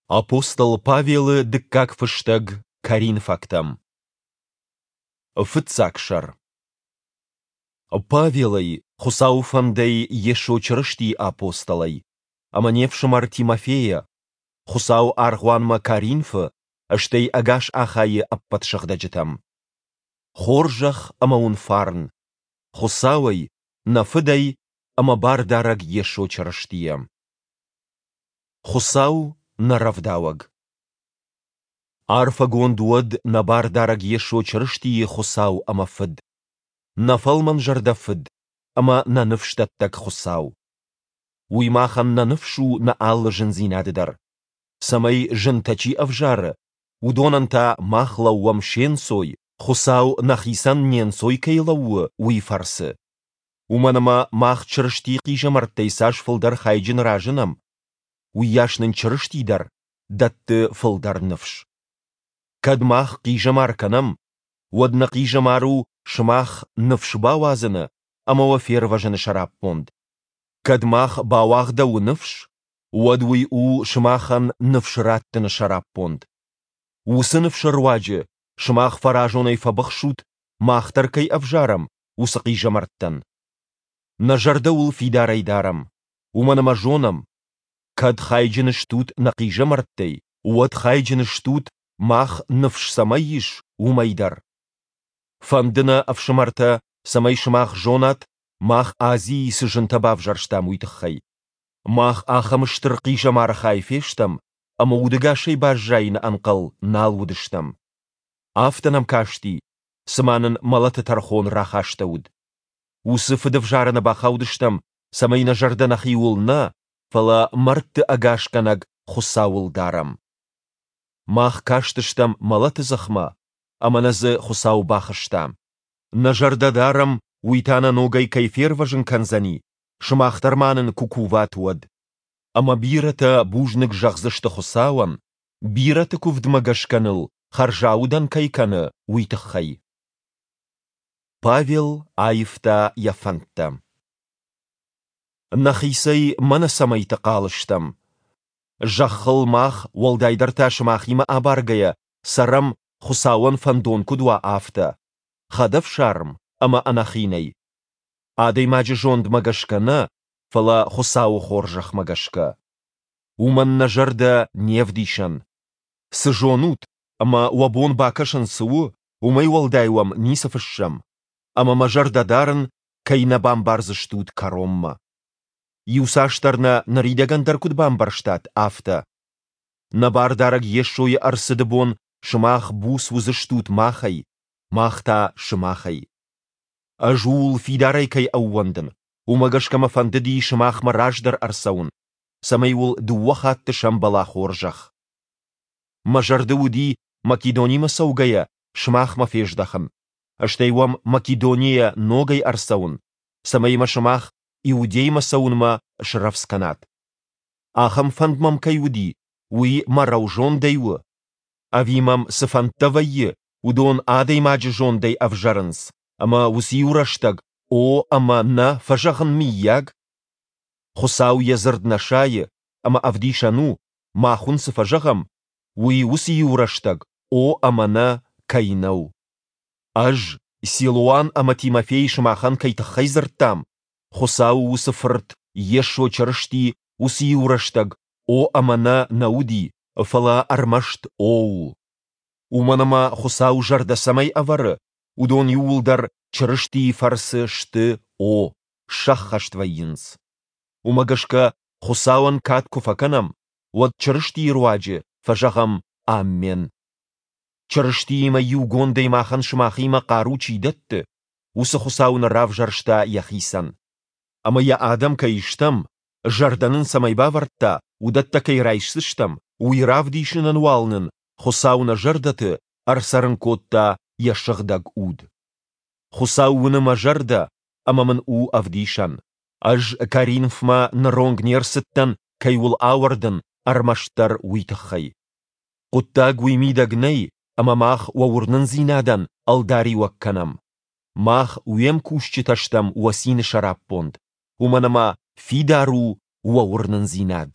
Апостол Павелы дыккаг фыстӕг Коринфӕгтӕм. Фыццаг сӕр. Павелӕй, Хуыцауы фӕндӕй Йесо Чырыстийы апостолӕй, ӕмӕ не фсымӕр Тимофейӕ, Хуыцауы аргъуанмӕ Коринфы, стӕй ӕгас Ахайы ӕппӕт сыгъдӕджытӕм. Хорзӕх ӕмӕ уын фарн, Хуыцауӕй, нӕ Фыдӕй ӕмӕ Бардарӕг Йесо Чырыстийӕ. Хуыцау нӕ рӕвдауӕг. Арфӕгонд уӕд нӕ Бардарӕг Йесо Чырыстийы Хуыцау ӕмӕ Фыд, нӕ фӕлмӕнзӕрдӕ Фыд ӕмӕ нӕ ныфсдӕттӕг Хуыцау. Уый махӕн нӕ ныфс у нӕ алы зындзинады дӕр, цӕмӕй зынтӕ чи ӕвзары, уыдонӕн та мах лӕууӕм се нцой, Хуыцау нӕхицӕн не нцой кӕй лӕууы, уый фӕрцы. Уымӕн ӕмӕ мах Чырыстийы хъизӕмӕрттӕй цас фылдӕр хайджын разынӕм, уыйас нын Чырысти дӕр дӕтты фылдӕр ныфс. Кӕд мах хъизӕмар кӕнӕм, уӕд нӕ хъизӕмар у сымах ныфс бауадзыны ӕмӕ уӕ фервӕзыны сӕраппонд. Кӕд мах бауагъдӕуы ныфс, уӕд уый у сымахӕн ныфс раттыны сӕраппонд. Уыцы ныфсы руаджы сымах фӕразонӕй фӕбыхсут, мах дӕр кӕй ӕвзарӕм, уыцы хъизӕмӕрттӕн. Нӕ зӕрдӕ уыл фидарӕй дарӕм, уымӕн ӕмӕ зонӕм, кӕд хайджын стут нӕ хъизӕмӕрттӕй, уӕд хайджын стут, мах ныфс цӕмӕй ис, уымӕй дӕр. Фӕнды нӕ, ӕфсымӕртӕ, цӕмӕй сымах зонат, мах Азийы цы зынтӕ бавзӕрстам, уый тыххӕй. Мах ахӕм стыр хъизӕмары хай фестӕм, ӕмӕ удӕгасӕй баззайыны ӕнхъӕл нал уыдыстӕм. Афтӕ нӕм касти, цыма нын мӕлӕты тӕрхон рахастӕуыд. Уыцы фыдӕвзарӕны бахаудыстӕм, цӕмӕй нӕ зӕрдӕ нӕхиуыл нӕ, фӕлӕ мӕрдты ӕгасгӕнӕг Хуыцауыл дарӕм. Мах кастыстӕм мӕлӕты дзыхмӕ, ӕмӕ нӕ дзы Хуыцау бахызта. Нӕ зӕрдӕ дарӕм, уый та нӕ ногӕй кӕй фервӕзын кӕндзӕни, сымах дӕр ма нын куы куват, уӕд. Ӕмӕ бирӕтӕ бузныг зӕгъдзысты Хуыцауӕн, бирӕты куывдмӕ гӕсгӕ ныл хӕрзаудӕн кӕй кӕны, уый тыххӕй. Павел аивта йӕ фӕндтӕ. Нӕхицӕй мӕнӕ цӕмӕйты хъал стӕм. Зӕххыл мах, уӕлдайдӕр та сымахимӕ абаргӕйӕ, цӕрӕм, Хуыцауӕн фӕндон куыд уа, афтӕ, хӕдӕфсарм ӕмӕ ӕнӕхинӕй. Адӕймаджы зондмӕ гӕсгӕ нӕ, фӕлӕ Хуыцауы хорзӕхмӕ гӕсгӕ. Уымӕн нӕ зӕрдӕ не вдисӕн. Цы зонут ӕмӕ уӕ бон бакӕсын цы у, уымӕй уӕлдай уӕм ницы фыссӕм, ӕмӕ мӕ зӕрдӕ дарын, кӕй нӕ бамбардзыстут кӕронмӕ. Иуцасдӕр нӕ ныридӕгӕн дӕр куыд бамбӕрстат, афтӕ. Нӕ Бардарӕг Йесойы ӕрцыды бон сымах буц уыдзыстут махӕй, мах та сымахӕй. Ӕз ууыл фидарӕй кӕй ӕууӕндын, уымӕ гӕсгӕ мӕ фӕндыди сымахмӕ раздӕр ӕрцӕуын, цӕмӕй уыл дыууӕ хатты сӕмбӕла хорзӕх. Мӕ зӕрды уыди, Македонимӕ цӕугӕйӕ, сымахмӕ фездӕхын, стӕй уӕм Македонийӕ ногӕй ӕрцӕуын, цӕмӕй мӕ сымах Иудеймӕ цӕуынмӕ срӕвдз кӕнат. Ахӕм фӕнд мӕм кӕй уыди, уый мӕ рӕузондӕй у? Ӕви мӕм цы фӕндтӕ вӕййы, уыдон адӕймаджы зондӕй ӕвзӕрынц, ӕмӕ уыцы-иу рӕстӕг о ӕмӕ нӕ фӕзӕгъын мыййаг? Хуыцау йӕ дзырд нӕ сайы, ӕмӕ ӕвдисӕн у, мах уын цы фӕзӕгъӕм, уый уыцы иу рӕстӕг о ӕмӕ нӕ кӕй нӕу. Ӕз, Силуан ӕмӕ Тимофей сымахӕн кӕй тыххӕй дзырдтам, Хуыцауы уыцы Фырт Йесо Чырысти уыцы иу рӕстӕг о ӕмӕ нӕ нӕ уыди, фӕлӕ ӕрмӕст о у. Уымӕн ӕмӕ Хуыцау зӕрдӕ цӕмӕй ӕвӕры, уыдон иууылдӕр Чырыстийы фӕрцы сты о, сӕххӕст вӕййынц. Уымӕ гӕсгӕ Хуыцауӕн кад куы фӕкӕнӕм, уӕд Чырыстийы руаджы фӕзӕгъӕм «Аммен». Чырыстиимӕ иугондӕй махӕн сымахимӕ хъару чи дӕтты, уыцы Хуыцау нӕ равзӕрста йӕхицӕн. Ӕмӕ йӕ адӕм кӕй стӕм, зӕрдӕ нын цӕмӕй бавӕрдта, уыдӕттӕ кӕй райсдзыстӕм, уый равдисынӕн уал нын Хуыцау нӕ зӕрдӕты ӕрцӕрын кодта йӕ Сыгъдӕг Уд. Хуыцау уыны мӕ зӕрдӕ ӕмӕ мын у ӕвдисӕн. Ӕз Коринфмӕ ныронг не рцыдтӕн, кӕй уыл ауӕрдын, ӕрмӕстдӕр уый тыххӕй. Хъуыддаг уый мидӕг нӕй, ӕмӕ мах уӕ уырнындзинадӕн ӕлдариуӕг кӕнӕм. Мах уе мкусджытӕ стӕм уӕ цины сӕраппонд, уымӕн ӕмӕ фидар у уӕ уырнындзинад.